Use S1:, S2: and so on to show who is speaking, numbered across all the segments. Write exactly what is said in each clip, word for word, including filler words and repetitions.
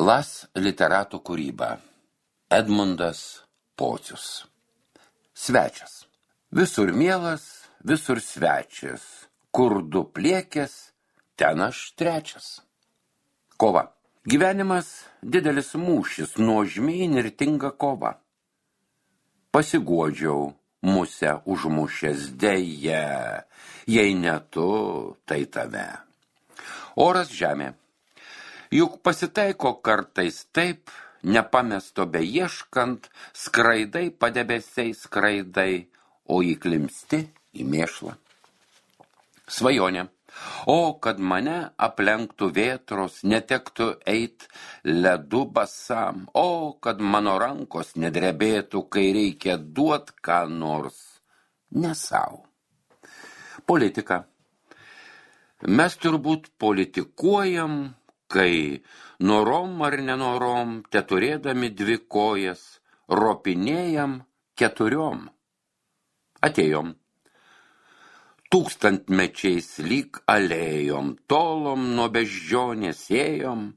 S1: Las literatų kūryba. Edmundas Pocius. Svečias. Visur mielas, visur svečias. Kur du pliekės, ten aš trečias. Kova. Gyvenimas didelis mūšis, nuožmiai nirtinga kova. Pasiguodžiau, musę užmušęs deja, jei ne tu, tai tave. Oras žemė. Juk pasitaiko kartais taip, nepamesto beieškant, skraidai padebesiai skraidai, o įklimsti į mėšlą. Svajonė. O, kad mane aplenktų vėtros, netektų eit ledu basam, o, kad mano rankos nedrebėtų, kai reikia duot ką nors, ne sau. Politika. Mes turbūt politikuojam, kai norom ar nenorom, te turėdami dvi kojas, ropinėjam keturiom. Atėjom. Tūkstantmečiais lyg alėjom, tolom nuo beždžionės ėjom,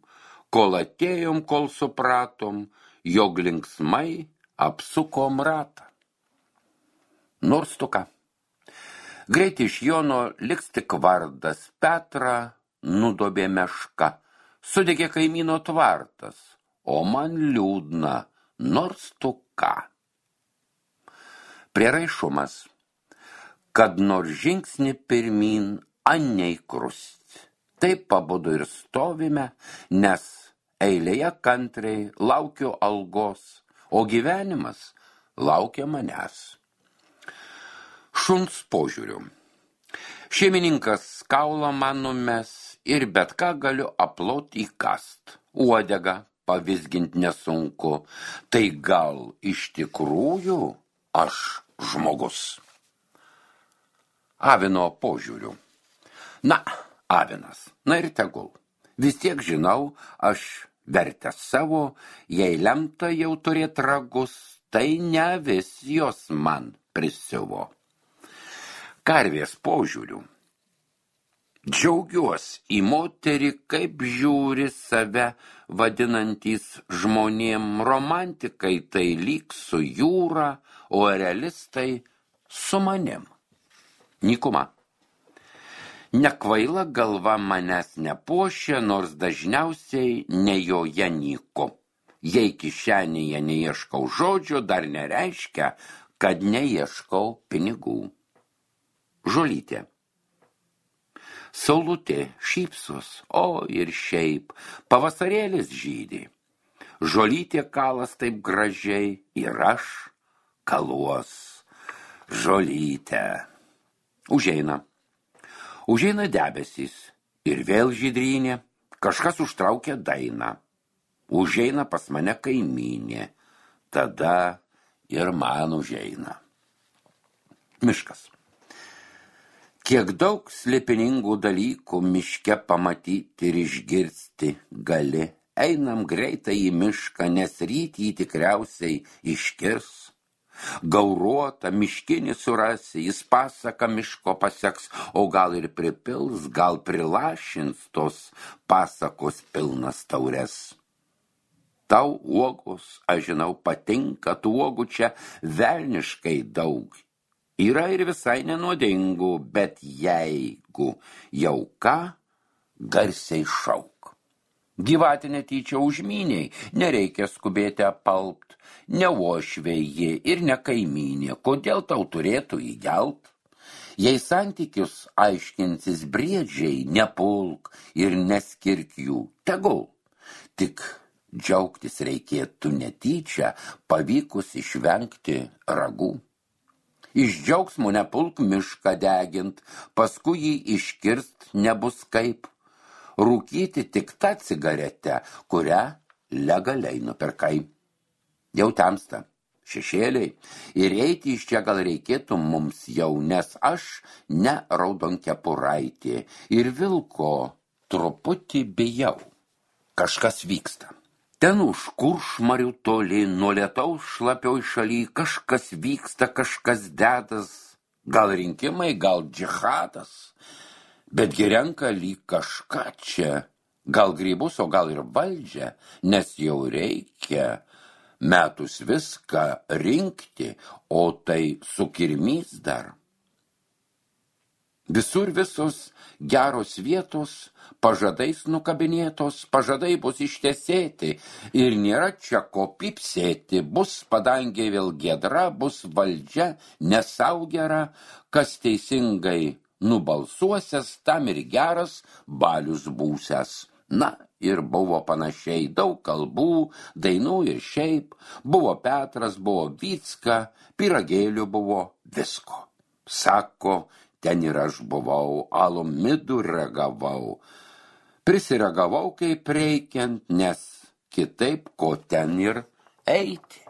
S1: kol atėjom, kol supratom, jog linksmai apsukom ratą. Nors tu ką. Greit iš Jono liks tik vardas, Petrą nudobė meška, sudegė kaimyno tvartas, o man liūdna, nors tu ką. Prieraišumas. Kad nors žingsnį pirmin, aniai krust. Taip pabudu ir stovime, nes eilėje kantriai laukiu algos, o gyvenimas laukia manęs. Šuns požiūriu. Šeimininkas kaulą man numes ir bet ką galiu aplot įkast. Uodegą pavizgint nesunku, tai gal iš tikrųjų aš žmogus. Avino požiūriu. Na, avinas, na ir tegul. Vis tiek žinau, aš vertęs savo, jei lemta jau turėt ragus, tai ne vis jos man prisiuvo. Karvės požiūriu. Džiaugiuos į moterį, kaip žiūri save vadinantys žmonėm, romantikai tai lyg su jūra, o realistai su manim. Nykuma. Nekvaila galva manęs nepuošia, nors dažniausiai ne joje nyku. Jei kišenėje neieškau žodžio, dar nereiškia, kad neieškau pinigų. Žolytė. Saulutė šypsos, o ir šiaip, pavasarėlis žydi. Žolytė kalas taip gražiai ir aš kaluos žolytę. Užeina. Užeina debesys ir vėl žydrynė, kažkas užtraukia dainą. Užeina pas mane kaimynė, tada ir man užeina. Miškas. Kiek daug slėpiningų dalykų miške pamatyti ir išgirsti gali. Einam greitai į mišką, nes ryt jį tikriausiai iškirs. Gauruota miškinį surasi, jis pasaka miško paseks, o gal ir pripils, gal prilašins tos pasakos pilnas taures. Tau uogos, aš žinau, patinka, tų uogų čia velniškai daug. Yra ir visai nenuodingų, bet jeigu jau ką, garsiai šauk. Gyvatė netyčia užmyniai, nereikia skubėti apalpt, ne uošvėji ir ne kaimynė, kodėl tau turėtų įgelt? Jei santykius aiškinsis briedžiai, nepulk ir neskirk jų, tegul. Tik džiaugtis reikėtų netyčia, pavykus išvengti ragų. Iš džiaugsmo nepulk mišką degint, paskui jį iškirst nebus kaip. Rūkyti tik tą cigaretę, kurią legaliai nupirkai. Jau temsta, šešėliai, ir eiti iš čia gal reikėtų mums jau, nes aš ne raudonkepuraitė ir vilko truputį bijau. Kažkas vyksta. Ten už kuršmarių toli, nuo lietaus šlapioj šaly, kažkas vyksta, kažkas dedas, gal rinkimai, gal džihadas. Betgi renka lyg kažką čia gal grybus, o gal ir valdžią, nes jau reikia metus viską rinkti, o tai sukirmys dar. Visur visos geros vietos, pažadais nukabinėtos, pažadai bus ištesėti ir nėra čia ko pipsėti, bus padangė vėl giedra, bus valdžia nesau gera, kas teisingai nubalsuosias, tam ir geras balius būsias. Na, ir buvo panašiai daug kalbų, dainų ir šiaip, buvo Petras, buvo Vycka, pyragėlių buvo visko. Sako, ten ir aš buvau, alum midų ragavau. Prisiragavau kaip reikiant, nes kitaip ko ten ir eiti.